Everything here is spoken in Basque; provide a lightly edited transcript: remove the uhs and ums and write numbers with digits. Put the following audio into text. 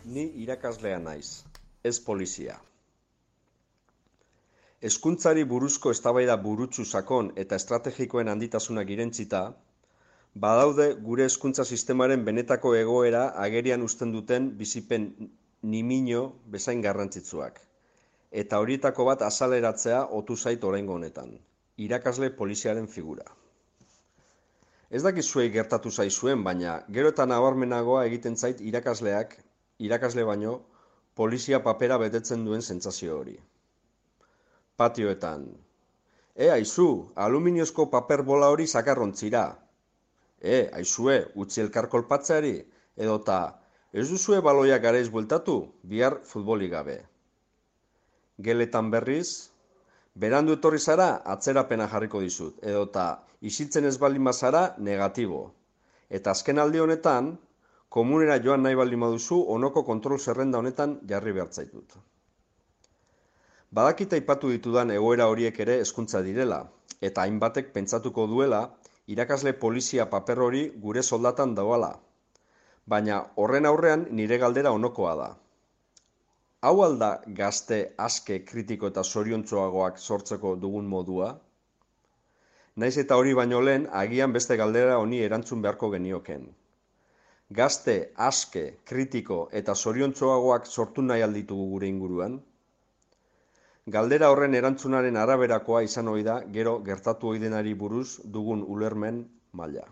Ni irakaslea naiz, ez polizia. Hezkuntzari buruzko eztabaida burutsu sakon eta estrategikoen handitasunak irentsita, badaude gure hezkuntza sistemaren benetako egoera agerian uzten duten bizipen nimino bezain garrantzitsuak. Eta horietako bat azaleratzea otu zait oraingo honetan, irakasle poliziaren figura. Ez dakizuei gertatu zaizuen, baina gero eta nabarmenagoa egiten zait irakasle baino, polizia papera betetzen duen sentsazio hori. Patioetan. Aizu, aluminiozko paper bola hori sakarrontzira. Aizue, utzi elkar kolpatzeari, edota, ez duzue baloiak garaiz bueltatu, bihar futbolik gabe. Geletan berriz, berandu etorri zara, atzerapena jarriko dizut, edota, isiltzen ez baldin bazara, negatibo. Eta azken aldi honetan, komunera joan nahi baldin baduzu, onoko kontrol zerrenda honetan jarri behar zaitut. Badakit aipatu ditudan egoera horiek ere hezkuntza direla, eta hainbatek pentsatuko duela, irakasle polizia paper hori gure soldatan dagoala. Baina horren aurrean nire galdera onokoa da. Hau alda gazte aske kritiko eta zoriontsuagoak sortzeko dugun modua? Naiz eta hori baino lehen, agian beste galdera honi erantzun beharko genioken. Gazte aske kritiko eta zoriontsuagoak sortu nahi alditugu gure inguruan? Galdera horren erantzunaren araberakoa izan ohi da gero gertatu ohi denari buruz dugun ulermen maila.